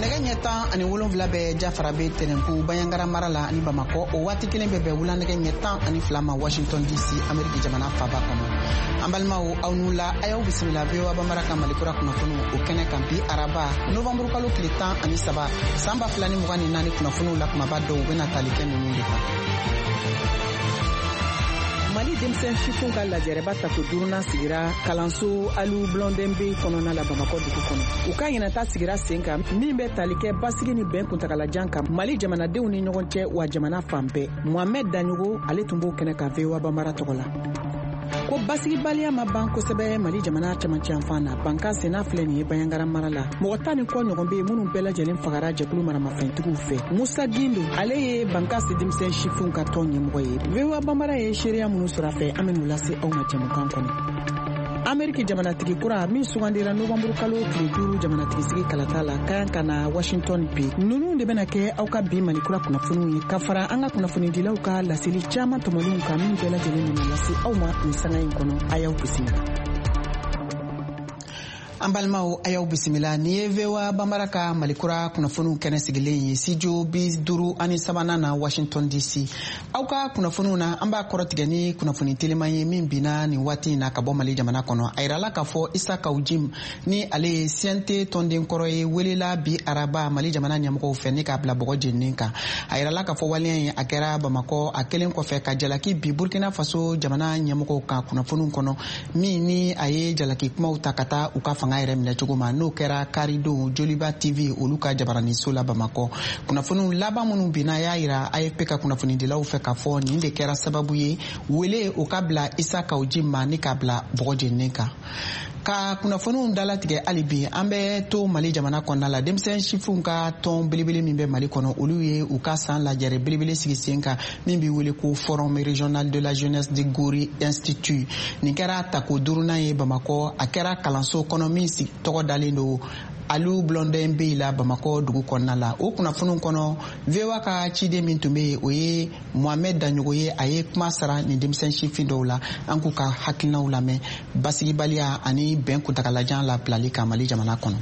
Nɛgɛ ɲɛ 17 bɛ Jafarabe Tɛnɛnku Banjagara mara la ani Bamakɔ. O waati kelen bɛ bɛn wula nɛgɛ ɲɛ 12 ma Washington DC, Ameriki jamana faba kɔnɔ. An balimaw, aw n'u la, a y'aw bisimila VOA Bambara ka Malikura kunnafoniw o kɛnɛ kan bi araba novanburu kalo tile 13 san 2024. Kunnafoniw la kumaba dɔw bɛna tali kɛ ninnu de kan. Mali denmisɛn sifinw ka lajɛrɛba tako duurunan sigira kalanso Alu Blondin Bey kɔnɔna la Bamakɔ dugu kɔnɔ. U ka ɲinata sigira sen kan min bɛ tali kɛ basigi ni bɛn kuntagalajan kan Mali jamanadenw ni ɲɔgɔn cɛ wa jamana fan bɛɛ. Mohamɛd Daɲogo, ale tun b'o kɛnɛ kan VOA Bambara tɔgɔ la. Ko basigibaliya ma ban kosɛbɛ Mali jamana camancɛ yanfan na, bankan senna filɛ nin ye Banjagara mara la. Mɔgɔ 10 ni kɔ ɲɔgɔn bɛ yen minnu bɛɛ lajɛlen fagara jɛkulu maramafɛntigiw fɛ. Musa Gindo, ale ye Bankasi denmisɛn sifinw ka tɔn ɲɛmɔgɔ ye. VOA Bambara ye seereya minnu sɔrɔ a fɛ, an bɛn'u lase aw ma jɛmukan kɔnɔ. Ameriki jamanatigi kura min sugandira novanburu kalo tile 5 jamanatigisigi kalata la ka kan ka na Washington bi. Ninnu de bɛna kɛ aw ka bi Malikura kunnafoniw ye, ka fara an ka kunnafonidilaw ka laseli caman tɔmɔlenw kan min bɛɛ lajɛlen bɛna lase aw ma nin sanga in kɔnɔ. A y'aw bisimila. An balimaw, a y'aw bisimila. Nin ye VOA Bambara ka Malikura kunnafoniw kɛnɛ sigilen ye studio 53nan na Washington DC. Aw ka kunnafoniw na, an b'a kɔrɔtigɛ ni kunnafoni teliman ye min binna nin waati in na ka bɔ Mali jamana kɔnɔ. A yirala k'a fɔ Isa Kaw Jim, ni ale ye CNT tɔnden kɔrɔ ye, welela bi araba Mali jamana ɲɛmɔgɔw fɛ ni k'a bila bɔgɔ jeninen kan. A yirala k'a fɔ waleya in, a kɛra Bamakɔ, a kɛlen kɔfɛ ka jalaki bi Burkina Faso jamana ɲɛmɔgɔw kan kunnafoniw kɔnɔ min ni a ye jalaki kumaw ta ka taa u ka fanga yɛrɛ minɛ cogo ma, n'o kɛra karidon Joliba TV olu ka jabaraniso la Bamakɔ. Kunnafoniw laban minnu binna y'a yira AFP ka kunnafonidilaw fɛ k'a fɔ nin de kɛra sababu ye wele o ka bila Isa Kaw Jim ma ni k'a bila bɔgɔ jeninen kan. Ka kunnafoniw dalatigɛ hali bi, an bɛ to Mali jamana kɔnɔna la. Denmisɛn sifinw ka tɔn belebele min bɛ Mali kɔnɔ, olu ye u ka san lajɛrɛ belebele sigi sen kan min bɛ wele ko Forum régional de la jeunesse de Gori Institut. Nin kɛra tako duurunan ye Bamakɔ. A kɛra kalanso kɔnɔ min tɔgɔ dalen don Alu Blondin Bey la Bamakɔ dugu kɔnɔna la. O kunnafoniw kɔnɔ, VOA ka ciden min tun bɛ yen, o ye Mohamed Daɲogo ye. A ye kuma sara nin denmisɛn sifin dɔw la. An k'u ka hakilinaw lamɛn basigibaliya ani bɛn kuntagalajan labilali kan Mali jamana kɔnɔ.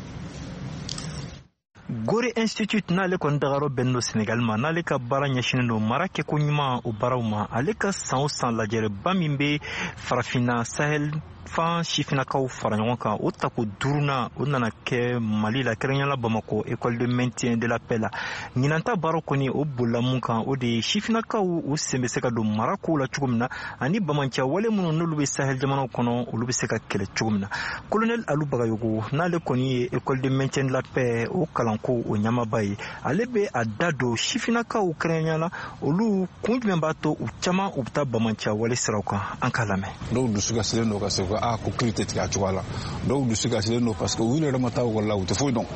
Gori Institute, n'ale kɔni dagayɔrɔ bɛnnen don Senegal ma, n'ale ka baara ɲɛsinen don mara kɛko ɲuman o baaraw ma, ale ka san o san lajɛrɛba min bɛ Farafinna Sahel fan sifinnakaw fara ɲɔgɔn kan, o tako duurunan o nana kɛ Mali la, kɛrɛnkɛrɛnnenya Bamakɔ, école de maintien de la paix la. Ɲinanta baara kɔni, o bolila mun kan? O de ye sifinnakaw u sen bɛ se ka don mara kow la cogo min na, ani bamanciya wale minnu n'olu bɛ Sahel jamanaw kɔnɔ, olu bɛ se ka kɛlɛ cogo min na. Colonel Alu Bagayogo, n'ale kɔni ye école de maintien de la paix o kalanko o ɲɛmaaba ye, ale bɛ a da don sifinnakaw, kɛrɛnkɛrɛnnenya la olu kun jumɛn b'a to u caman u bɛ taa bamanciya wale siraw kan. An k'a lamɛn. Dɔw dusu kasilen don ka se ko ko kiri tɛ tigɛ a cogoya la. Dɔw dusu kasilen don parce que u yɛrɛ ma taa ekɔli la, u tɛ foyi dɔn.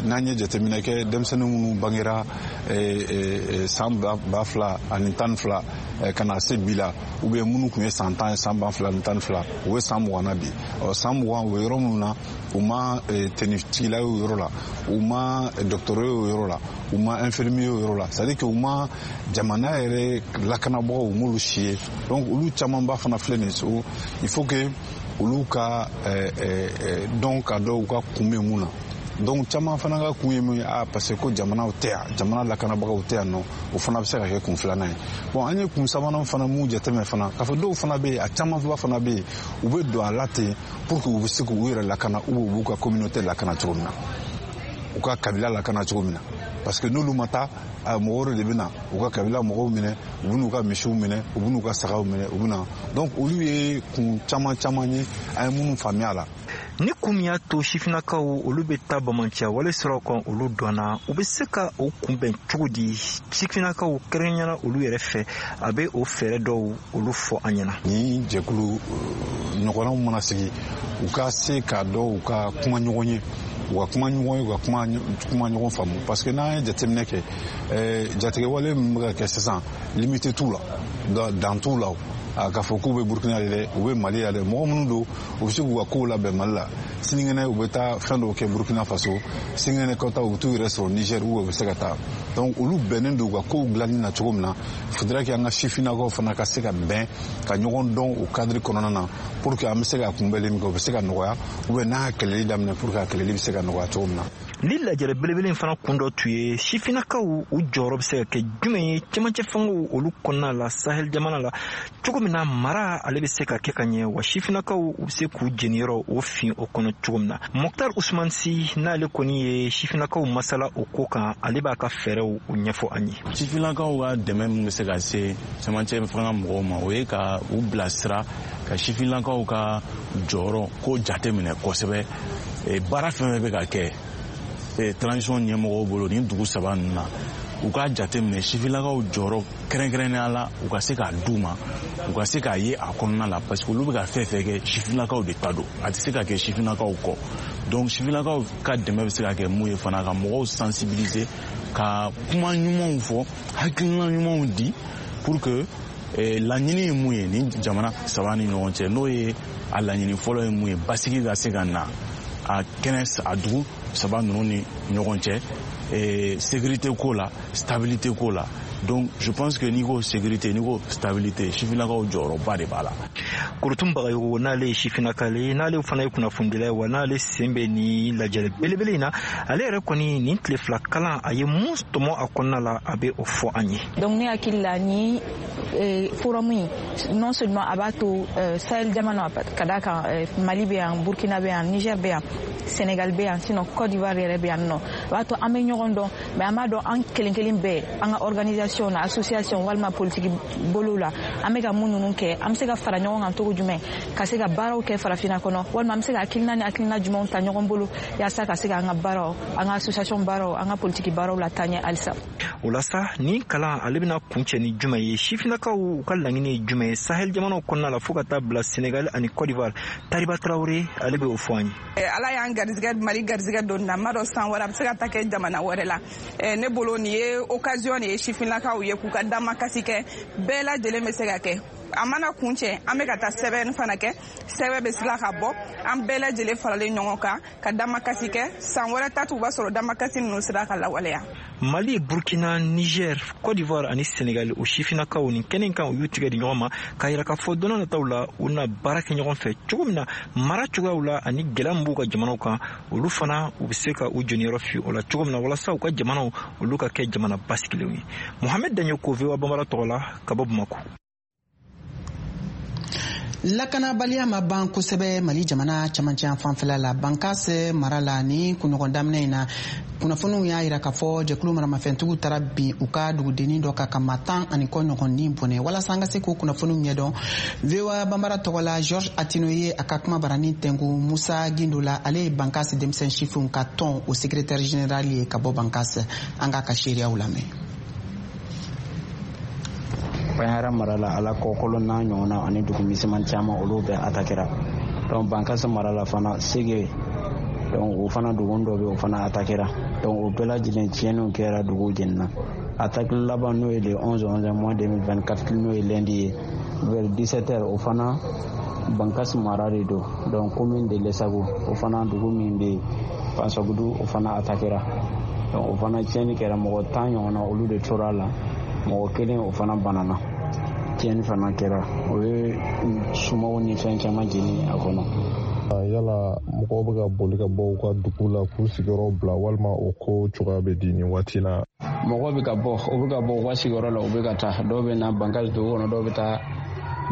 N'an ye jateminɛ kɛ, denmisɛnnin minnu bangera san 2012 ka na se bi la, ou bien minnu tun ye san 10 ye san 2012, u bɛ san 20 na bi. Ɔ, san 20, u bɛ yɔrɔ minnu na, u ma tenitigila ye o yɔrɔ la, u ma docteur ye o yɔrɔ la, u ma infirmier ye o yɔrɔ la. C'est à dire que u ma jamana yɛrɛ lakanabagaw, u m'olu si ye. Donc olu camanba fana filɛ nin ye, il faut que olu ka dɔn ka dɔn u ka kun bɛ mun na. Donc caman fana ka kun ye mun ye? A parce que ko jamanaw tɛ yan, jamana lakanabagaw tɛ yan nɔ. O fana bɛ se ka kɛ kun filanan ye. Bon, an ye kun sabanan fana mun jateminɛ fana, k'a fɔ dɔw fana bɛ yen, a camanba fana bɛ yen, u bɛ don a la ten pour que u bɛ se k'u yɛrɛ lakana ou u b'u ka communauté lakana cogo min na, u ka kabila lakana cogo min na, parce que n'olu ma taa, mɔgɔ wɛrɛ de bɛ na u ka kabila mɔgɔw minɛ, u bɛ n'u ka misiw minɛ, u bɛ n'u ka sagaw minɛ, u bɛ na. Donc olu ye kun caman caman ye an ye minnu faamuya a la. Ni kun min y'a to sifinnakaw olu bɛ taa bamanciya wale siraw kan, olu dɔnna. U bɛ se ka o kunbɛn cogo di? Sifinnakaw, kɛrɛnkɛrɛnnenya olu yɛrɛ fɛ, a bɛ o fɛɛrɛ dɔw olu fɔ an ɲɛna. Ni jɛkulu ɲɔgɔnnaw mana sigi, u ka se k'a dɔn u ka kuma ɲɔgɔn ye, u ka kuma ɲɔgɔn ye, u ka kuma ɲɔgɔn faamu, parce que n'an ye jateminɛ kɛ, jatigɛwale min bɛ ka kɛ sisan, limite t'u la, dan t'u la. K'a fɔ k'u bɛ Burkina de dɛ, u bɛ Mali la dɛ, mɔgɔ minnu don, u bɛ se k'u ka kow labɛn Mali la. Sinikɛnɛ u bɛ taa fɛn dɔw kɛ Burkina Faso, sinikɛnɛ kɔta u bɛ t'u yɛrɛ sɔrɔ Niger ou u bɛ se ka taa. Donc olu bɛnnen don u ka kow dilanni na cogo min na, faudrait que an ka sifinnakaw fana ka se ka bɛn ka ɲɔgɔn dɔn o cadre kɔnɔna na, pour que an bɛ se ka kunbɛli min kɛ, o bɛ se ka nɔgɔya, ou bien n'a kɛlɛli daminɛ, pour que a kɛlɛli bɛ se ka nɔgɔya cogo min na. Ni lajɛrɛ belebele in fana kun dɔ tun ye sifinnakaw u jɔyɔrɔ bɛ se ka kɛ jumɛn ye cɛmancɛ fangaw olu kɔnɔna la, Sahel jamana la, cogo min na mara ale bɛ se ka kɛ ka ɲɛ, wa sifinnakaw u bɛ se k'u jeniyɔrɔ o fin o kɔnɔ cogo min na. Moctar Ousmane Sy, n'ale kɔni ye sifinnakaw masala o ko kan, ale b'a ka fɛɛrɛw o ɲɛfɔ an ye. Sifinnakaw ka dɛmɛ min bɛ se ka se cɛmancɛ fanga mɔgɔw ma, o ye ka u bilasira, ka sifinnakaw ka jɔyɔrɔ ko jateminɛ kosɛbɛ. Baara fɛn fɛn bɛ ka kɛ transition ɲɛmɔgɔw bolo nin dugu saba ninnu na, u k'a jateminɛ sifinnakaw jɔyɔrɔ kɛrɛnkɛrɛnnenya la, u ka se k'a d'u ma, u ka se k'a ye a kɔnɔna la, parce que olu bɛ ka fɛn fɛn kɛ, sifinnakaw de ta don, a tɛ se ka kɛ sifinnakaw kɔ. Donc sifinnakaw ka dɛmɛ bɛ se ka kɛ mun ye fana, ka mɔgɔw sensibiliser, ka kuma ɲumanw fɔ, hakilina ɲumanw di, pour que laɲini ye mun ye nin jamana saba ni ɲɔgɔn cɛ, n'o ye a laɲini fɔlɔ ye mun ye, basigi ka se ka na a kɛnɛ a dugu saba ninnu ni ɲɔgɔn cɛ, sécurité ko la, stabilité ko la. Donc je pense que n'i ko sécurité, n'i ko stabilité, sifinnakaw jɔyɔrɔba de b'a la. Korotum Bagayogo, n'ale ye sifinnaka ye, n'ale fana ye kunnafonidila ye, wa n'ale sen bɛ nin lajɛrɛ belebele in na, ale yɛrɛ kɔni nin tile 2 kalan, a ye mun tɔmɔ a kɔnɔna la, a bɛ o fɔ an ye. Donc ne hakili la, ni forum in, non seulement a b'a to Sahel jamana, ka d'a kan Mali bɛ yan, Burkina bɛ yan, Niger bɛ yan, Sénégal bɛ yan, sinon Côte d'Ivoire yɛrɛ bɛ yan nɔ, a b'a to an bɛ ɲɔgɔn dɔn, mais an b'a dɔn an kelen kelen bɛɛ, an ka organisation na, association walima politique bolo la, an bɛ ka mun ninnu kɛ, an bɛ se ka fara ɲɔgɔn kan cogo jumɛn ka se ka baaraw kɛ farafinna kɔnɔ, walima an bɛ se ka hakilina ni hakilina jumɛnw ta ɲɔgɔn bolo yaasa ka se ka an ka baaraw, an ka association baaraw, an ka politique baaraw la taa ɲɛ halisa. O la sa, nin kalan ale bɛna kuncɛ ni jumɛn ye? Sifinnakaw u ka laɲini ye jumɛn ye Sahel jamanaw kɔnɔna la, fo ka taa bila Sénégal ani Côte d'Ivoire? Tariba Traoré, ale bɛ o fɔ an ye. Ala y'an garizigɛ, Mali garizigɛ don na, n m'a dɔn san wɛrɛ a bɛ se ka taa kɛ jamana wɛrɛ la. Ne bolo nin ye occasion de ye sifinnakaw ye k'u ka damakasi kɛ, bɛɛ lajɛlen bɛ se ka kɛ. A mana kun cɛ, an bɛ ka taa sɛbɛn fana kɛ, sɛbɛn bɛ sila ka bɔ, an bɛɛ lajɛlen faralen ɲɔgɔn kan ka damakasi kɛ. San wɛrɛ ta tun b'a sɔrɔ damakasi ninnu sera ka lawaleya. Mali, Burkina, Niger, Côte d'Ivoire ani Sénégal, o sifinnakaw nin kɛnɛ kan, u y'u tigɛ di ɲɔgɔn ma k'a yira k'a fɔ don nataw la, u na baara kɛ ɲɔgɔn fɛ cogo min na mara cogoyaw la, ani gɛlɛya min b'u ka jamanaw kan, olu fana u bɛ se ka u jɔniyɔrɔ fi o la cogo min na, walasa u ka jamanaw olu ka kɛ jamana basigilenw ye. Mohamed Dagnoko, VOA Bambara tɔgɔ la, ka bɔ Bamakɔ. Lakanabaliya ma ban kosɛbɛ Mali jamana camancɛ fanfɛla la, Bankas mara la. Ni kunɲɔgɔn daminɛ in na, kunnafoniw y'a yira k'a fɔ jɛkulu maramafɛntigiw taara bin u ka dugudennin dɔ kan ka maa 10 ani kɔ ɲɔgɔn ni bɔnɛ. Walasa an ka se k'o kunnafoniw ɲɛdɔn, VOA Bambara tɔgɔ la, George Atino ye a ka kuma barani tɛnku Musa Gindo la. Ale ye Bankas denmisɛn sifinw ka tɔn o secrétaire général ye ka bɔ Bankas. An k'a ka seereyaw lamɛn. Bandiagara mara la, ala kɔkɔlɔ n'a ɲɔgɔnna ani dugu misɛnman caman, olu bɛɛ atakera. Donc Bankasi mara la fana, Sege, donc o fana dugu dɔ bɛ, o fana atakera. Donc o bɛɛ lajɛlen tiɲɛniw kɛra, dugu jenina. Attaque laban, n'o ye le 11 11 mois 2024, n'o ye lundi ye, vers 17 heures, o fana Bankasi mara de don, donc commune de Lesago, o fana dugu min bɛ yen Pansagudu, o fana atakera. Donc o fana tiɲɛni kɛra, mɔgɔ 10 ɲɔgɔnna olu de tora a la, mɔgɔ kelen o fana banana. Tiɲɛni fana kɛra, o ye sumaw ni fɛn caman jeni a kɔnɔ. Yala mɔgɔw bɛ ka boli ka bɔ u ka dugu la k'u sigiyɔrɔ bila, walima o ko cogoya bɛ di nin waati la? Mɔgɔw bɛ ka bɔ, u bɛ ka bɔ u ka sigiyɔrɔ la, u bɛ ka taa. Dɔw bɛ na Bankasi dugu kɔnɔ, dɔw bɛ taa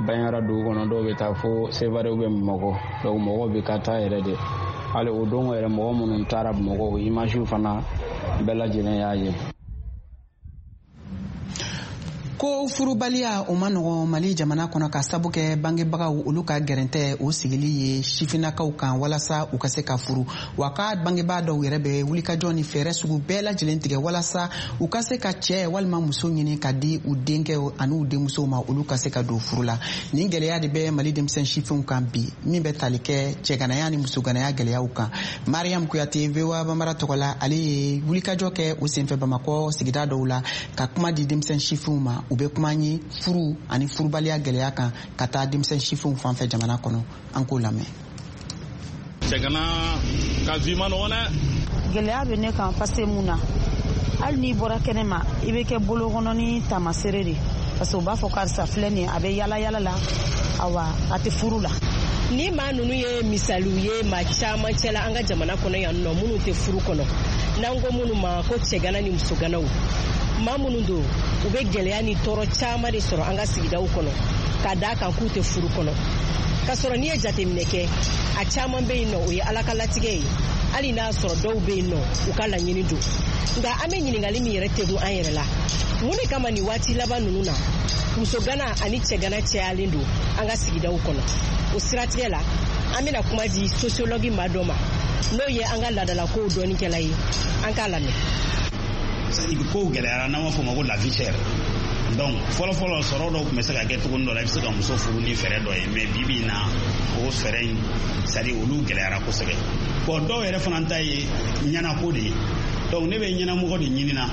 Bandiagara dugu kɔnɔ, dɔw bɛ taa fo Sevare bɛ Bamakɔ. Donc mɔgɔw bɛ ka taa yɛrɛ de. Hali o don yɛrɛ, mɔgɔ minnu taara Bamakɔ, o image fana bɛɛ lajɛlen y'a ye. Ko furubaliya o ma nɔgɔn Mali jamana kɔnɔ, ka sabu kɛ bangebagaw olu ka gɛrɛntɛ o sigili ye sifinnakaw kan walasa u ka se ka furu. Wa ka bangebaa dɔw yɛrɛ bɛ wulikajɔ ni fɛɛrɛ sugu bɛɛ lajɛlen tigɛ walasa u ka se ka cɛɛ walima muso ɲini ka di u denkɛ ani u denmusow ma, olu ka se ka don furu la. Nin gɛlɛya de bɛ Mali denmisɛn sifinw kan bi, min bɛ tali kɛ cɛganaya ni musoganaya gɛlɛyaw kan. Mariam Kuyate, VOA Bambara tɔgɔ la, ale ye wulikajɔ kɛ o senfɛ Bamakɔ sigida dɔw la ka kuma di denmisɛn sifinw ma. U bɛ kuma an ye furu ani furubaliya gɛlɛya kan ka taa denmisɛn sifinw fan fɛ jamana kɔnɔ. An k'o lamɛn. Cɛgana ka vie ma nɔgɔn dɛ. Gɛlɛya bɛ ne kan parce que mun na, hali n'i bɔra kɛnɛ ma, i bɛ kɛ bolokɔnɔ ni taamasere de, parce que u b'a fɔ karisa filɛ nin ye, a bɛ yala yala la, awa a tɛ furu la. Ni maa ninnu ye misaliw ye maa caman cɛla an ka jamana kɔnɔ yan nɔ, minnu tɛ furu kɔnɔ, n'an ko minnu ma ko cɛgana ni musoganaw, maa minnu don, u bɛ gɛlɛya ni tɔɔrɔ caman de sɔrɔ an ka sigidaw kɔnɔ ka d'a kan k'u tɛ furu kɔnɔ. K'a sɔrɔ n'i ye jateminɛ kɛ, a caman bɛ yen nɔ, o ye Ala ka latigɛ ye, hali n'a sɔrɔ dɔw bɛ yen nɔ, u ka laɲini don. Nka an bɛ ɲininkali min yɛrɛ tegun an yɛrɛ la, mun de kama nin waati laban ninnu na, musogana ani cɛgana cayalen don an ka sigidaw kɔnɔ? O siratigɛ la, an bɛna kuma di sociologue maa dɔ ma, n'o ye an ka laadalakow dɔnnikɛla ye. An k'a lamɛn. Kow gɛlɛyara, n'an b'a fɔ o ma ko la vie chère. Donc fɔlɔ fɔlɔ, sɔrɔ dɔw tun bɛ se ka kɛ cogo dɔ la, i bɛ se ka muso furu ni fɛɛrɛ dɔ ye, mais bi bi in na, o fɛɛrɛ in, c'est à dire olu gɛlɛyara kosɛbɛ. Bon, dɔw yɛrɛ fana ta ye ɲɛnako de ye. Donc ne bɛ ɲɛnamɔgɔ de ɲinina.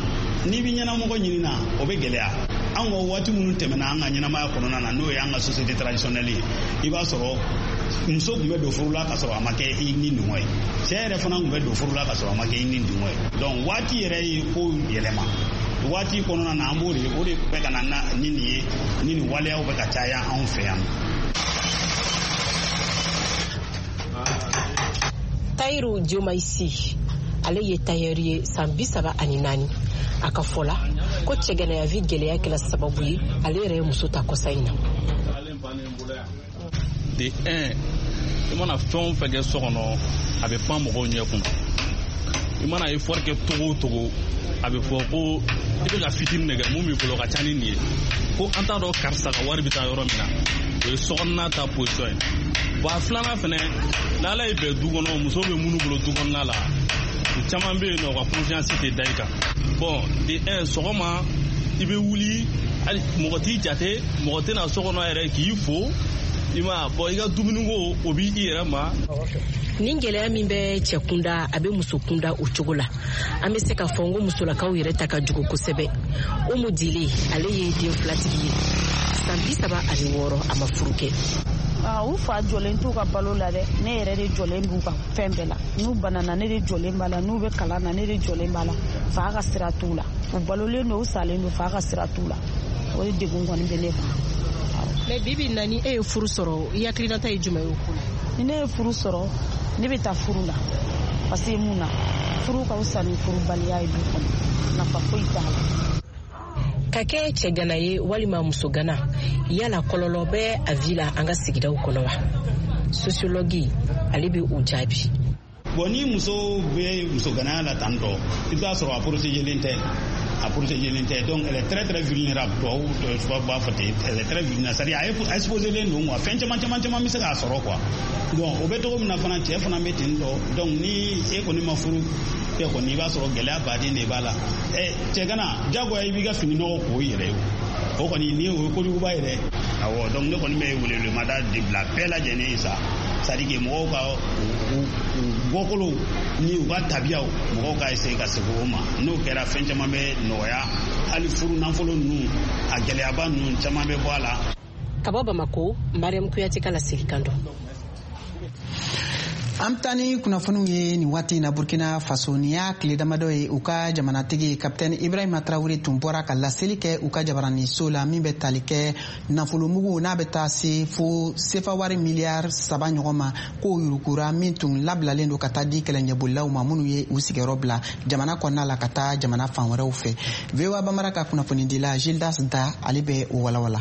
N'i bɛ ɲɛnamɔgɔ ɲinina, o bɛ gɛlɛya. An ka waati minnu tɛmɛna an ka ɲɛnamaya kɔnɔna na, n'o ye an ka société traditionnelle ye, i b'a sɔrɔ muso tun bɛ don furu la ka sɔrɔ a ma kɛ i ni dungɔ ye, cɛ yɛrɛ fana tun bɛ don furu la ka sɔrɔ a ma kɛ i ni dungɔ ye. Donc waati yɛrɛ ye ko yɛlɛma. Waati kɔnɔna na, an b'o de, o de bɛ ka na ni nin ye, ni nin waleyaw bɛ ka caya anw fɛ yan. Tayiru Diomaisi, ale ye tayɛri ye, san 34. A ka fɔ la ko cɛganayavi gɛlɛya kɛla sababu ye ale yɛrɛ ye muso ta kɔsa in na. De un, i mana fɛn o fɛn kɛ so kɔnɔ, a bɛ pan mɔgɔw ɲɛ kunna. I mana effort kɛ togo o togo, a bɛ fɔ ko i bɛ ka fitinin de kɛ, mun b'i bolo ka ca ni nin ye, ko an t'a dɔn karisa ka wari bɛ taa yɔrɔ min na. O ye sokɔnɔna ta position ye. Bon, a filanan fɛnɛ, n'Ala ye bɛn du kɔnɔ, muso bɛ minnu bolo du kɔnɔna la, u caman bɛ yen nɔ, u ka confiance tɛ da i kan. Bon, de un, sɔgɔma i bɛ wuli, hali mɔgɔ t'i jate, mɔgɔ tɛna so kɔnɔ yɛrɛ k'i fo. I ma bɔn, i ka dumuniko, o b'i yɛrɛ ma. Nin gɛlɛya min bɛ cɛ kunda, a bɛ muso kunda o cogo la. An bɛ se k'a fɔ n ko musolakaw yɛrɛ ta ka jugu kosɛbɛ. Umu Dile, ale ye den filatigi ye, san 36, a ma furu kɛ. U fa jɔlen t'u ka balo la dɛ. Ne yɛrɛ de jɔlen b'u ka fɛn bɛɛ la. N'u banana, ne de jɔlen b'a la. N'u bɛ kalan na, ne de jɔlen b'a la. Fa ka sira t'u la. U balolen don, u salen don, fa ka sira t'u la. O de degun kɔni bɛ ne kan. Mais bibi na, ni e ye furu sɔrɔ, i hakilinata ye jumɛn ye o ko la? Ni ne ye furu sɔrɔ, ne bɛ taa furu la, parce que mun na, furu ka fisa ni furubaliya ye du kɔnɔ, nafa foyi t'a la. Ka kɛ cɛgana ye walima musogana, yala kɔlɔlɔ bɛ a vie la an ka sigidaw kɔnɔ wa? Sociologue, ale bɛ o jaabi. Bon, ni muso bɛ musoganaya la tan tɔ, i bɛ taa sɔrɔ a protégelen tɛ, a protégelen tɛ. Donc elle est très très vulnérable. Tubabu b'a fɔ ten, elle est très vulnérable, c'est à dire a exposé len don quoi. Fɛn caman caman caman bɛ se k'a sɔrɔ quoi. Donc o bɛ cogo min na fana, cɛ fana bɛ ten tɔ. Donc ni e kɔni ma furu kɛ kɔni, i b'a sɔrɔ gɛlɛya baden de b'a la. Ɛ, cɛgana, jagoya i b'i ka fini nɔgɔ ko i yɛrɛ ye, o kɔni ni o ye kojuguba ye dɛ. Awɔ, donc ne kɔni bɛ welewelemada de bila bɛɛ lajɛlen ye sa, c'est à dire que mɔgɔw ka u bɔkolow ni u ka tabiyaw, mɔgɔw ka essayer ka segin o ma. N'o kɛra, fɛn caman bɛ nɔgɔya, hali furu nafolo ninnu, a gɛlɛyaba ninnu caman bɛ bɔ a la. Ka bɔ Bamako, Mariam Kuyate ka laselikan don. An bɛ taa ni kunnafoniw ye nin waati in na Burkina Faso. Nin y'a tile damadɔ ye, u ka jamanatigi Kapitɛni Ibrahima Tarawele tun bɔra ka laseli kɛ u ka jabaraniso la, min bɛ tali kɛ nafolomugu n'a bɛ taa se fo sefa wari miliyari 3 ɲɔgɔn ma, k'o yurukura min tun labilalen don ka taa di kɛlɛɲɛbolilaw ma minnu ye u sigiyɔrɔ bila jamana kɔnɔna la ka taa jamana fan wɛrɛw fɛ. VOA Bamara ka kunnafonidila Gildas Da, ale bɛ o walawala.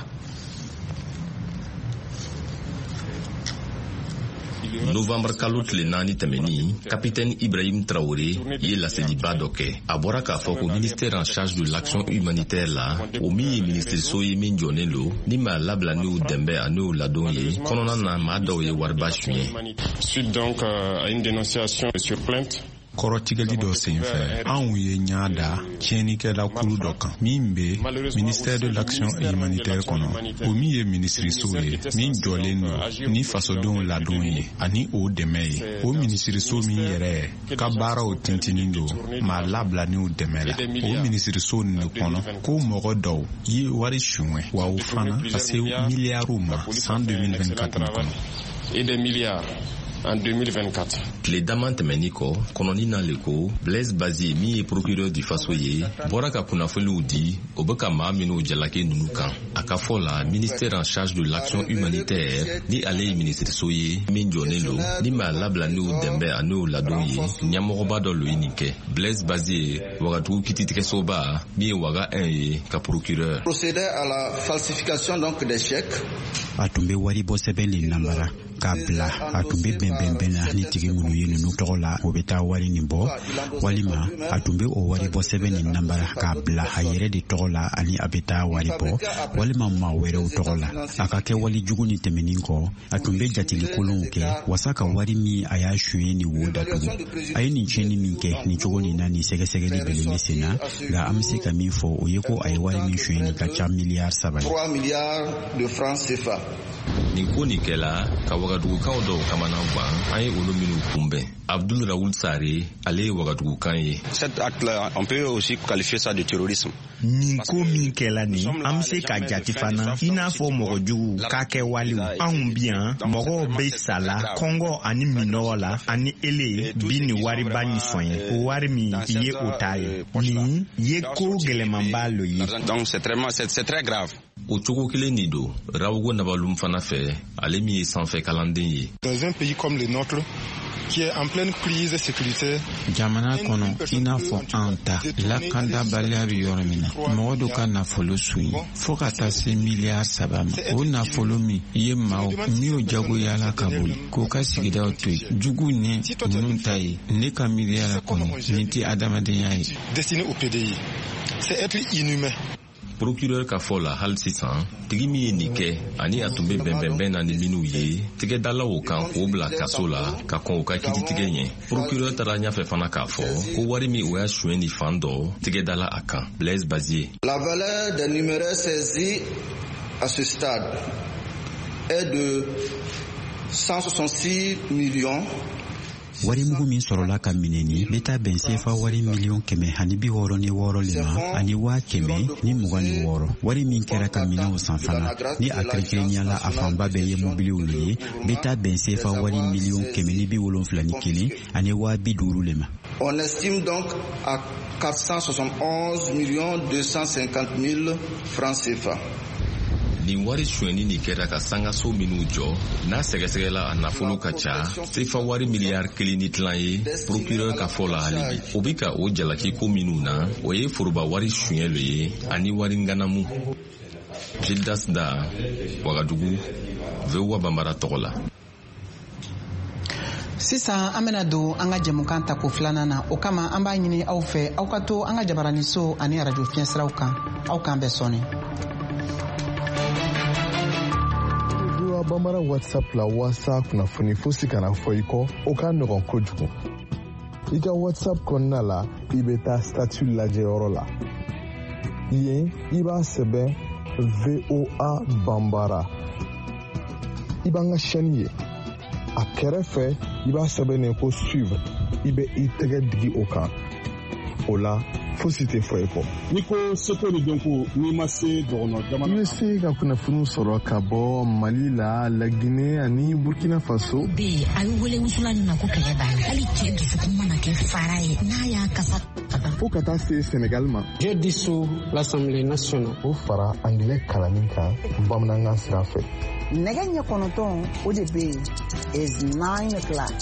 Novembre kalo tile 4 tɛmɛnin, capitaine Ibrahim Traoré ye laseliba dɔ kɛ. A bɔra k'a fɔ ko ministère en charge de l'action humanitaire la, o min ye minisiriso ye min jɔnen lo ni maa labila n'u dɛmɛ ani u ladon ye kɔnɔna na, maa dɔw ye wariba suɲɛ. Suite donc à une dénonciation sur plainte. Kɔrɔtigɛli dɔ senfɛ, anw ye ɲa da tiɲɛnikɛla kulu dɔ kan min be ministère de l'action humanitaire kɔnɔ, o min ye minisiriso ye min jɔlen don ni fasodenw ladon ye ani o dɛmɛ ye. O minisiriso min yɛrɛ ka baaraw tintinin don maa labilaniw dɛmɛ la, o minisiriso nin de kɔnɔ ko mɔgɔ dɔw ye wari suɲɛ, wa o fana ka se miliyariw ma san 2024 kɔnɔ. Et des milliards en 2024. Tile dama tɛmɛni kɔ, kɔnɔni na le ko Blaise Bazier, min ye procureur du Faso ye, bɔra ka kunnafoniw di o bɛ ka maa minnu jalaki ninnu kan. A ka fɔ la, ministère en charge de l'action humanitaire, ni ale ye minisiriso ye min jɔlen lo ni maa labilaniw dɛmɛ an'o ladon ye, ɲɛmɔgɔba dɔ lo ye nin kɛ. Blaise Bazier, Wagadugu kititigɛsoba min ye Waga 1 ye, ka procureur. Procédait à la falsification donc des chèques. A tun bɛ waribɔ sɛbɛn de namara k'a bila. A tun bɛ bɛnbɛnbɛn na ni tigi minnu ye ninnu tɔgɔ la, o bɛ taa wari nin bɔ, walima a tun bɛ o waribɔ sɛbɛn nin namara k'a bila a yɛrɛ de tɔgɔ la ani a bɛ taa wari bɔ, walima maa wɛrɛw tɔgɔ la. A ka kɛwale jugu nin tɛmɛnin kɔ, a tun bɛ jateli kolonw kɛ wasa ka wari min a y'a suɲɛ nin wo datugu. A ye nin tiɲɛni min kɛ nin cogo nin na, nin sɛgɛsɛgɛli belen bɛ sen na, nka an bɛ se ka min fɔ, o ye ko a ye wari min suɲɛ nin ka ca miliyari 3 ye. 3 milliards de francs CFA. Nin ko nin kɛla ka wagadugukaw dɔw kamana gan, an ye olu minnu kunbɛn. Abdul Raoul Sare, ale ye wagadugukan ye. Cet acte-là, on peut aussi qualifier ça de terrorisme. Nin ko min kɛla nin, an be se ka jati fana i n'a fɔ mɔgɔ jugu k'a kɛ walew. Anw bi yan, mɔgɔw be sala kɔngɔ ani minɔgɔ la, ani ele bi nin wariba nin sɔnyɛ. O wari min ye o ta ye, nin ye ko gɛlɛmanba lo ye. Donc c'est très grave. O cogo kelen nin don Rawugo Nabalum fana fɛ, ale min ye sanfɛ kalanden ye. Dans un pays comme le nôtre, qui est en pleine crise sécuritaire, jamana kɔnɔ i n'a fɔ an ta, lakandabaliya bɛ yɔrɔ min na, mɔgɔ dɔ ka nafolo sonya fɔɔ ka taa se miliyari 3 ma, o nafolo min ye maaw min'o jagoyala ka boli k'o ka sigidaw to yen, jugu ni ninnu ta ye, ne ka miiriya la kɔni, nin tɛ adamadenya ye. Destiné au PDI, c'est être inhumain. Procureur ka fɔ la, hali sisan, tigi min ye nin kɛ ani a tun bɛ bɛnbɛnbɛn na ni minnu ye, tigɛdalaw kan k'o bila kaso la ka kɔn u ka kititigɛ ɲɛ. Procureur taara ɲɛfɛ fana k'a fɔ ko wari min o y'a suɲɛ ni fan dɔ, tigɛdala a kan. Blaise Bazier. La valeur des numéraires saisis à ce stade est de 166 millions. Warimugu min sɔrɔla ka minɛ nin bɛ taa bɛn sefa wari miliyɔn 166 le ma ani 126,000. Wari min kɛra ka minɛnw san fana, ni a kɛrɛnkɛrɛnnenya la a fanba bɛɛ ye mobiliw le ye, bɛ taa bɛn sefa wari miliyɔn 171 ani 50,000 le ma. On estime donc à 471 millions 250 000 francs CFA. Nin wari sonyɛni nin kɛra ka sangaso minnu jɔ, n'a sɛgɛsɛgɛla, a nafolo ka ca sefa wari miliyari 1.5 ye. Procureur ka fɔ la, hali bi o bi ka o jalaki ko minnu na, o ye foroba wari suɲɛ lo ye ani wari ŋanamu. Gildas Da, Wagadugu, VOA Bambara tɔgɔ la. Sisan an bena don an ka jɛmukan tako filanan na. O kama, an b'a ɲini aw fɛ, aw ka to an ka jabaraniso ani arajo fiɲɛsiraw kan. Aw k'an bɛɛ sɔɔni. VOA Bambara WhatsApp la, waasa kunnafoni fosi kana fɔ i kɔ, o ka nɔgɔn kojugu. I ka WhatsApp kɔnɔna la, i bɛ taa statut lajɛyɔrɔ la. Yen, i b'a sɛbɛn VOA Bambara, i b'an ka chaîne ye. A kɛrɛfɛ, i b'a sɛbɛn ko suivre, i bɛ i tɛgɛ digi o kan. O la, fosi tɛ fɔ i kɔ. N'i ko seko ni dɔnko, n'i ma se dɔgɔnɔ jamana I bɛ se ka kunnafoniw sɔrɔ ka bɔ Mali la, Laginɛ ani Burkina Faso. Bɛ a bɛ wele wusulan nin ma ko kɛlɛ b'a la. Hali cɛ dusukun mana kɛ fara ye, n'a y'a kasa ka ban. Fo ka taa se Senegal ma. Je dissous l'Assemblée nationale. O fara angilɛ kalanni kan bamanankan sira fɛ. Nɛgɛ ɲɛ 9, o de bɛ yen, is 9 o'clock.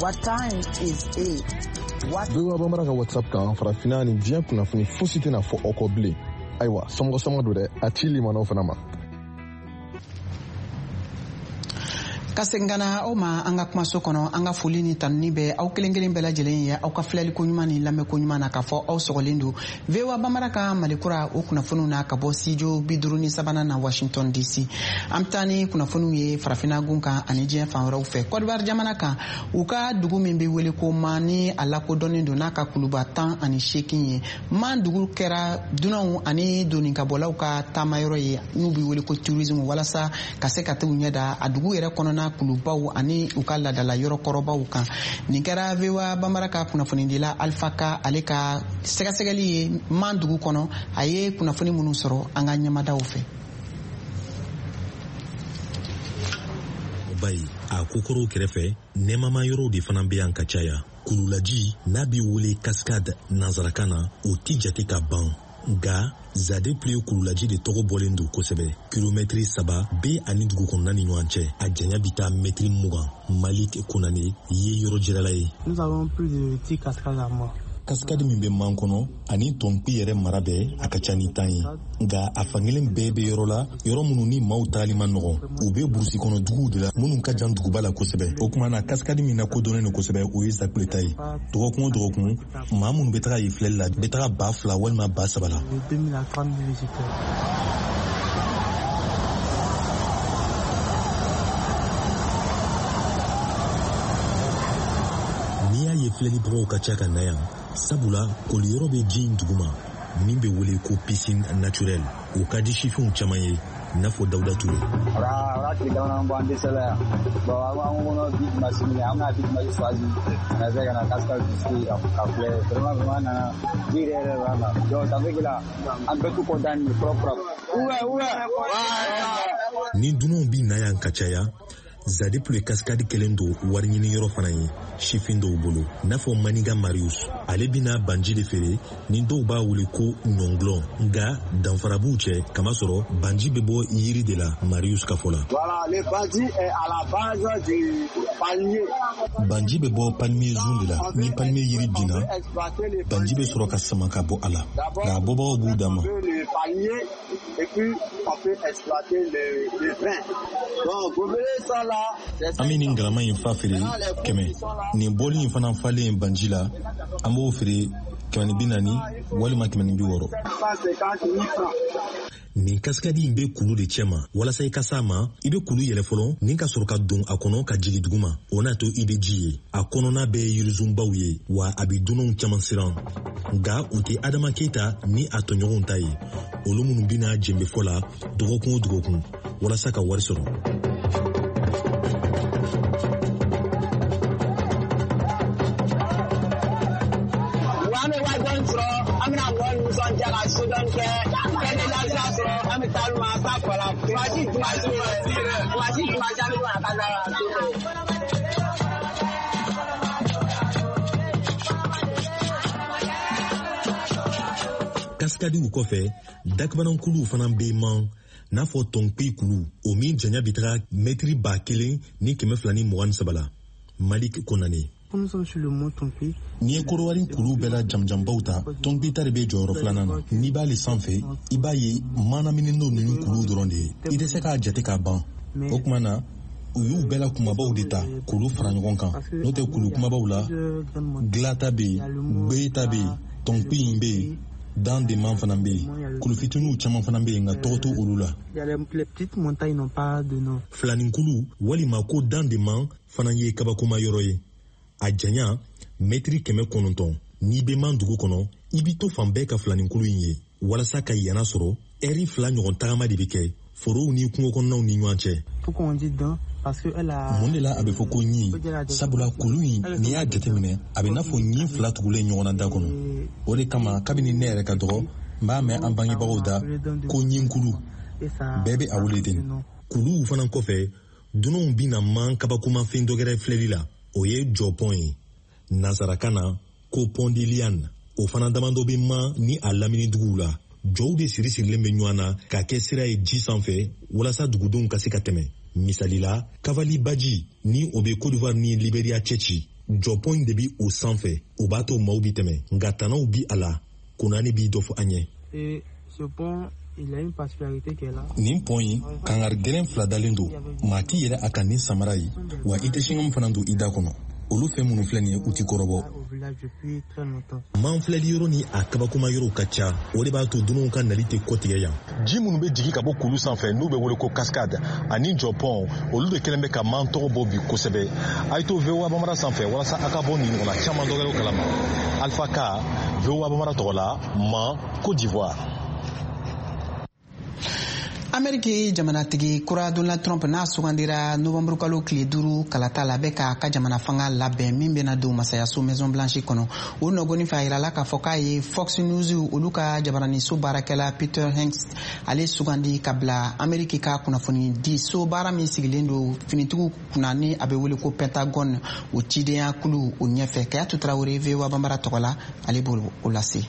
What time is it? What VOA Bambara ka WhatsApp kan, farafinna ni diɲɛ kunnafoni fosi tɛna fɔ aw kɔ bilen. Ayiwa, sɔmɔgɔ sɔmɔ don dɛ, a ci limanaw fana ma. Ka segin ka na aw ma an ka kumaso kɔnɔ, an ka foli ni tanuni bɛ aw kelen kelen bɛɛ lajɛlen ye aw ka filɛliko ɲuman ni lamɛnko ɲuman na, k'a fɔ aw sɔgɔlen don VOA Bambara ka Malikura o kunnafoniw na ka bɔ studio 53nan na Washington DC. An bɛ taa ni kunnafoniw ye farafinna gun kan ani diɲɛ fan wɛrɛw fɛ. Côte d'Ivoire jamana kan, u ka dugu min bɛ wele ko Man, ni a lakodɔnnen don n'a ka kuluba 18 ye, Man dugu kɛra dunanw ani doninkabɔlaw ka taamayɔrɔ ye n'u bɛ wele ko tourisme, walasa ka se ka t'u ɲɛ da a dugu yɛrɛ kɔnɔna kulubaw ani u ka laadala yɔrɔ kɔrɔbaw kan. Nin kɛra VOA Bambara ka kunnafonidila Alpha Ka ale ka sɛgɛsɛgɛli ye Man dugu kɔnɔ. A ye kunnafoni minnu sɔrɔ an ka ɲɛmadaw fɛ. Bayi a kokɔrɔw kɛrɛfɛ, nɛɛmama yɔrɔw de fana bɛ yan ka caya. Kululaji n'a bɛ wele cascade nansarakan na, o ti jate ka ban, nka Zadépluie kululaji de tɔgɔ bɔlen don kosɛbɛ. Kilomɛtiri 3 bɛ ani dugu kɔnɔna ni ɲɔgɔn cɛ, a janya bɛ taa mɛtiri 20. Malik Konane ye yɔrɔ jirala ye. Cascade min bɛ Man kɔnɔ ani Tɔnpi yɛrɛ mara bɛɛ, a ka ca ni 10 ye, nka a fankelen bɛɛ bɛ yɔrɔ la, yɔrɔ minnu ni maaw tagali man nɔgɔn. U bɛ burusi kɔnɔ duguw de la minnu ka jan duguba la kosɛbɛ. O tuma na, cascade min lakodɔnnen don kosɛbɛ, o ye Zakpule ta ye. Dɔgɔkun o dɔgɔkun, maa minnu bɛ taga yen filɛli la bɛ taga 2000 walima 3000 la. N'i y'a ye filɛlibagaw ka ca ka na yan, sabula koliyɔrɔ bɛ ji in duguma min bɛ wele ko piscine naturelle. O ka di sifinw caman ye, n'a fɔ Dawuda Ture. A tile damadɔ bɔ an dɛsɛla yan. Bon, an ko bi dimanche minɛ, an bɛna bi dimanche choisi ka na se ka na cascade visiter ka filɛ. Vraiment vraiment, an nana, ji yɛrɛ yɛrɛ b'a la. Donc ça fait que là, an bɛɛ tout content ni propre. Ni dunanw bi na yan ka caya, Zadépluie cascade kɛlen don wari ɲini yɔrɔ fana ye sifin dɔw bolo, n'a fɔ Maniga Marius. Ale bɛna banji de feere ni dɔw b'a wele ko ɲɔngulɔ, nka danfara b'u cɛ, kamasɔrɔ banji bɛ bɔ yiri de la Marius ka fɔ la. Voilà, le bandji est à la base du palmier. Banji bɛ bɔ palmier zun de la. Ni palmier yiri binna, banji bɛ sɔrɔ ka sama ka bɔ a la, nka a bɔbagaw b'u dan ma. Et puis, on peut exploiter le vin. Donc, gobelet ça là, An bɛ nin galama in fa feere 100. Nin bɔli in fana falen banji la, an b'o feere 140 walima 160. Nin cascade in bɛ kulu de cɛma. Walasa i ka s'a ma, i bɛ kulu yɛlɛ fɔlɔ ni ka sɔrɔ ka don a kɔnɔ ka jigin duguma. O n'a to i bɛ ji ye. A kɔnɔna bɛɛ ye yirizunbaw ye, wa a bɛ dunanw caman siran, nka u tɛ Adama Keyita ni a tɔɲɔgɔnw ta ye, olu minnu bɛna jenbefɔ la dɔgɔkun o dɔgɔkun walasa ka wari sɔrɔ. An bɛ wari dɔɔni sɔrɔ, an bɛna mɔgɔ nisɔndiya ka so dɔɔni kɛ, kɛ ni lafiya sɔrɔ, an bɛ taa ma an t'a fɔ la. Dimanche dimanche dimanche dimanche, an bɛ to ka taa la. Cascadew kɔfɛ, dakabanankuluw fana bɛ Man, n'a fɔ Tɔnpi kulu, o min janya bɛ taga mɛtiri 1223 la. Malik Konane. N'i ye Korowari kulu bɛɛ la jamujanbaw ta, Tɔnpi ta de bɛ jɔyɔrɔ filanan na. N'i b'ale sanfɛ, i b'a ye manaminen don ni kuluw dɔrɔn de ye, i tɛ se k'a jate k'a ban. O tuma na, u y'u bɛɛ la kunbabaw de ta k'olu fara ɲɔgɔn kan, n'o tɛ kulu kumabaw la, Gila ta bɛ yen, Gbeye ta bɛ yen, Tɔnpi in bɛ yen, Dan de Man fana bɛ yen. Kulu fitininw caman fana bɛ yen, nka tɔgɔ t'olu olu la. Filaninkulu walima ko Dan de Man fana ye kabakoma yɔrɔ ye. A janya mɛtiri 900. N'i bɛ Man dugu kɔnɔ, i b'i to fan bɛɛ ka filaninkulu in ye. Walasa ka yana sɔrɔ, ɛri 2 ɲɔgɔn tagama de bɛ kɛ forow ni kungo kɔnɔnaw ni ɲɔgɔn cɛ. Mun de la a bɛ fɔ ko ɲin? Sabula kulu in, n'i y'a jateminɛ, a bɛ n'a fɔ ɲin fila tugulen ɲɔgɔn na da kɔnɔ. O de kama, kabini ne yɛrɛ ka dɔgɔ, n b'a mɛn an bangebagaw da ko ɲinkulu. Bɛɛ bɛ a wele ten. Kuluw fana kɔfɛ, dunanw bɛna Man kabakomafɛn dɔ gɛrɛ filɛli la, o ye jɔpɔn ye, nansarakan na ko pont de liane. O fana damadɔ bɛ Man ni a lamini duguw la. Jɔw de siri sirilen bɛ ɲɔgɔn na ka kɛ sira ye ji sanfɛ walasa dugudenw ka se ka tɛmɛ. Misali la, Kavali baji ni o bɛ Côte d'Ivoire ni Liberia cɛ ci, jɔpɔn in de bɛ o sanfɛ, o b'a to maaw bɛ tɛmɛ, nka tanaw bi a la. Konane b'i dɔ fɔ an ye. Nin pɔn in, kangari gɛlɛn fila dalen don: maa t'i yɛlɛ a kan ni samara ye, wa i tɛ chewing-gum fana don i da kɔnɔ. Olu fɛn minnu filɛ nin ye, u ti kɔrɔbɔ. Man filɛli yɔrɔ ni a kabakoma yɔrɔw ka ca, o de b'a to dunanw ka nali tɛ kɔtigɛ yan. Ji minnu bɛ jigin ka bɔ kulu sanfɛ, n'u bɛ wele ko cascade, ani jɔpɔn, olu de kɛlen bɛ ka Man tɔgɔ bɔ bi kosɛbɛ. A ye to VOA Bambara sanfɛ walasa a ka bɔ nin ɲɔgɔnna caman dɔwɛrɛw kalama. Alpha Ka, VOA Bambara tɔgɔ la, Man, Côte d'Ivoire. Ameriki jamanatigi kura Donald Trump, n'a sugandira novanburukalo tile 5 kalata la, bɛ k'a ka jamana fanga labɛn min bɛna don masayaso Maison Blanche kɔnɔ. O nɔgɔni fɛ, a yirala k'a fɔ k'a ye Fox News, olu ka jabaraniso baarakɛla Peter Hegseth, ale sugandi ka bila Ameriki ka kunnafoni di so baara min sigilen don finitigiw kunna, ni a bɛ wele ko Pentagone, o cidenya kulu o ɲɛfɛ. Kayatu Tarawele, VOA Banbara tɔgɔ la, ale b'o o lase.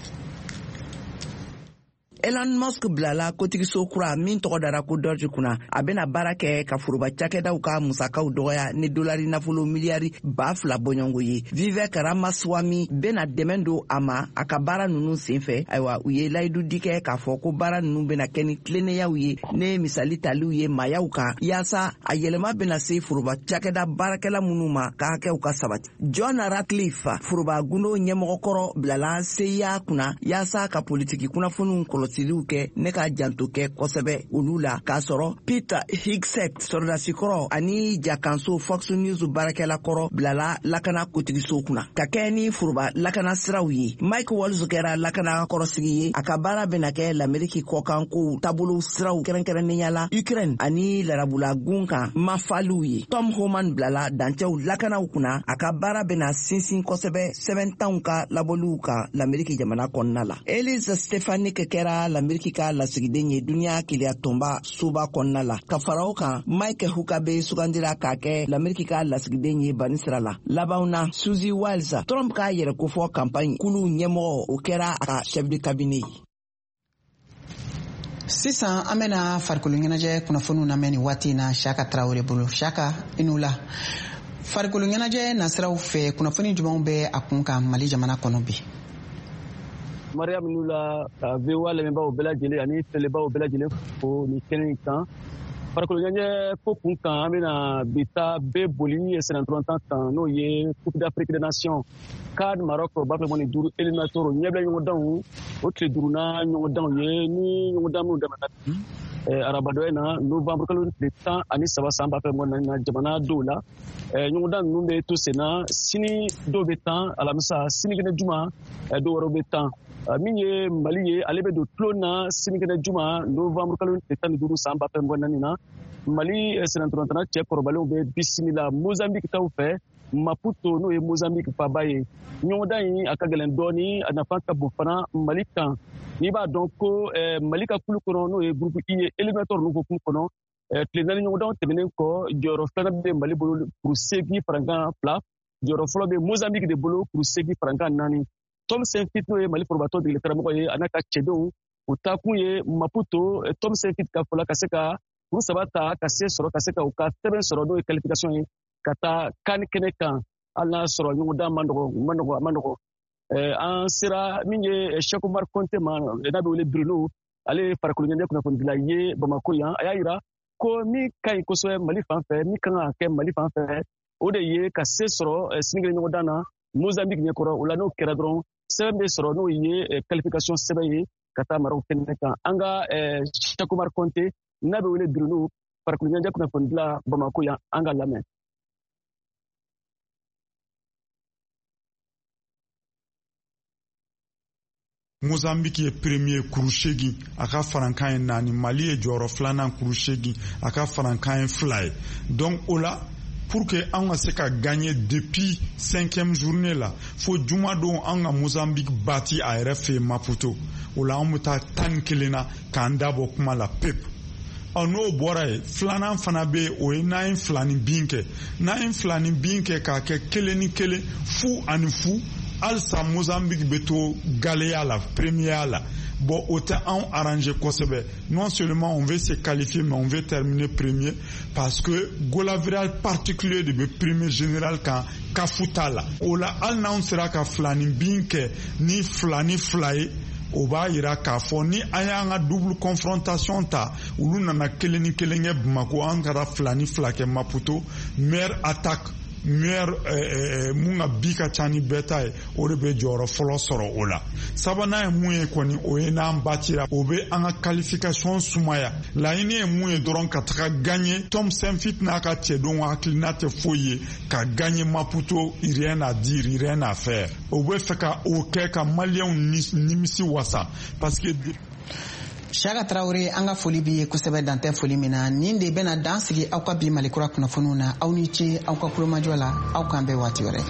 Elon Musk bilala kotigiso kura min tɔgɔ dara ko DOGE kunna. A bɛna baara kɛ ka foroba cakɛdaw ka musakaw dɔgɔya ni dolari nafolo miliyari 2000 bɔɲɔgɔnko ye. Vivek Ramaswamy bɛna dɛmɛ don a ma a ka baara nunu senfɛ. Ayiwa, u ye layidu di kɛ k'a fɔ ko baara nunu bɛna kɛ ni tilennenyaw ye, ne misali taliw ye maayaw kan, yaasa a yɛlɛma bɛna se foroba cakɛda baarakɛla minnu ma, ka hakɛw ka sabati. John Ratcliffe, foroba gundo ɲɛmɔgɔkɔrɔ, bilala CIA kunna yaasa ka politiki kunnafoniw kɔlɔsiliw kɛ ne ka janto kɛ kosɛbɛ olu la, k'a sɔrɔ Pete Hegseth, sɔrɔdasikɔrɔ ani jakanso Fox News baarakɛla kɔrɔ, bilala lakana kotigiso kunna ka kɛ ni foroba lakana siraw ye. Mike Waltz kɛra lakana kɔrɔsigi ye. A ka baara bɛna kɛ Lameriki kɔkankow taabolo siraw, kɛrɛnkɛrɛnnenya la Ukraine ani Larabula gun kan mafaliw ye. Tom Homan bilala dancɛw lakanaw kunna. A ka baara bɛna sinsin kosɛbɛ sɛbɛntanw ka labɔliw kan Lameriki jamana kɔnɔna la. Elise Stefanik kɛra Lameriki ka lasigiden ye duniɲa keleya tɔnba soba kɔnɔna la. Ka fara o kan, Mike Huckabee sugandira k'a kɛ Lameriki ka lasigiden ye banisira la. Labanw na, Susie Wiles, Trump k'a yɛrɛ kofɔ kanpaɲi kulu ɲɛmɔgɔ, o kɛra a ka chef de cabinet ye. Sisan an bɛna farikolo ɲɛnajɛ kunnafoniw lamɛn nin waati in na Siyaka Tarawele bolo. Siyaka, i n'u la. Farikolo ɲɛnajɛ nasiraw fɛ, kunnafoni jumɛnw bɛ a kun kan Mali jamana kɔnɔ bi? Mariam Nula, ka VOA lamɛnbaaw bɛɛ lajɛlen ani filɛbaaw bɛɛ lajɛlen fo ni kɛnɛ in kan. Farikolo ɲɛnajɛ ko kun kan, an bɛna bi ta bɛɛ boli sennantolatan kan, n'o ye Coupe d'Afrique des Nations CAN Maroc 2025 éliminatoire ɲɛbila ɲɔgɔndanw, o tile duurunan ɲɔgɔndanw ye, ni ɲɔgɔndan minnu daminɛna bi arabadɔ in na, novembre kalo tile 13 san 2024 na, jamana dɔw la. Ɲɔgɔndan ninnu bɛ to sen na. Sini dɔw bɛ tan, alamisa, sinikɛnɛ juma dɔw wɛrɛw bɛ tan. Min ye Mali ye, ale bɛ don tulon na sinikɛnɛ juma, novembre kalo tile 15 san 2024 na. Mali sennantolatanna cɛ kɔrɔbalenw bɛ bisimila Mozambique taw fɛ Maputo, n'o ye Mozambique faba ye. Ɲɔgɔndan in a ka gɛlɛn dɔɔni, a nafa ka bon fana Mali kan. N'i b'a dɔn ko Mali ka kulu kɔnɔ, n'o ye groupe I ye, éliminatoire ninnu hukumu kɔnɔ, tile 4 ɲɔgɔndanw tɛmɛnen kɔ, jɔyɔrɔ filanan bɛ Mali bolo, kuru 8 farankan 2. Jɔyɔrɔ fɔlɔ bɛ Mozambique de bolo, kuru 8 farankan 4. Tom Saintfiet, n'o ye Mali forobatɔ degeli karamɔgɔ ye, a n'a ka cɛdenw, u taakun ye Maputo, Tom Saintfiet ka fɔ la, ka se ka kuru 3 ta, ka se sɔrɔ, ka se ka u ka sɛbɛn sɔrɔ, n'o ye qualification ye ka taa CAN kɛnɛ kan, hali n'a sɔrɔ ɲɔgɔndan ma nɔgɔ, ma nɔgɔ, a ma nɔgɔ. An sera min ye Cheikh Oumar Konte ma, n'a bɛ wele Bruno, ale ye farikolo ɲɛnajɛ kunnafonidila ye Bamako yan. A y'a yira ko min ka ɲi kosɛbɛ Mali fan fɛ, min kan ka kɛ Mali fan fɛ, o de ye ka se sɔrɔ sinikɛnɛ ɲɔgɔndan na Mozambique ɲɛkɔrɔ. O la, n'o kɛra dɔrɔn, sɛbɛn bɛ sɔrɔ, n'o ye qualification sɛbɛn ye ka taa Maroc kɛnɛ kan. An ka Cheikh Oumar Konte, n'a bɛ wele Bruno, farikolo ɲɛnajɛ kunnafonidila Bamako yan, an ka lamɛn. Mozambique ye premier, kuru 8, a ka farankan ye 4. Mali ye jɔyɔrɔ filanan, kuru 8, a ka farankan ye 2 ye. Donc o la, pour que an ka se ka gagner depuis cinquième journée la, fo juma don an ka Mozambique bati a yɛrɛ fɛ yen Maputo. O la, an bɛ taa 11 na k'an da bɔ kuma la pepu. Ɔ, n'o bɔra yen, filanan fana bɛ yen, o ye n'an ye fila ni bin kɛ, n'an ye fila ni bin kɛ k'a kɛ 1-1, 0-0, halisa Mozambique bɛ to galeya la, première la. Bon, o tɛ anw arranger kosɛbɛ. Non seulement on veut se qualifier, mais on veut terminer premier, parce que goal average particulier de bɛ premier général kan, CAF t'a la. O la, hali n'anw sera ka fila ni bin kɛ ni 2-2 ye, O b'a yira k'a fɔ ni an y'an ka double confrontation ta, olu nana 1-1 kɛ Bamako, an kɛra 2-2 kɛ Maputo. Meilleure attaque, meilleur mun ka bi ka ca ni bɛɛ ta ye, o de bɛ jɔyɔrɔ fɔlɔ sɔrɔ o la. Sabanan ye mun ye kɔni, o ye n'an batira, o bɛ an ka qualification sumaya. Laɲini ye mun ye dɔrɔn, ka taga gagner. Tom Saintfiet n'a ka cɛdenw hakilina tɛ foyi ye ka gagner Maputo, rien à dire, rien à faire. O bɛ fɛ ka o kɛ ka Maliyɛnw nimisi wasa parce que Siaka Tarawele, an ka foli b'i ye kosɛbɛ, dantɛ foli min na. Nin de bɛna dan sigi aw ka bi Malikura kunnafoniw na. Aw ni ce aw ka kulomajɔ la. Aw k'an bɛn waati wɛrɛ.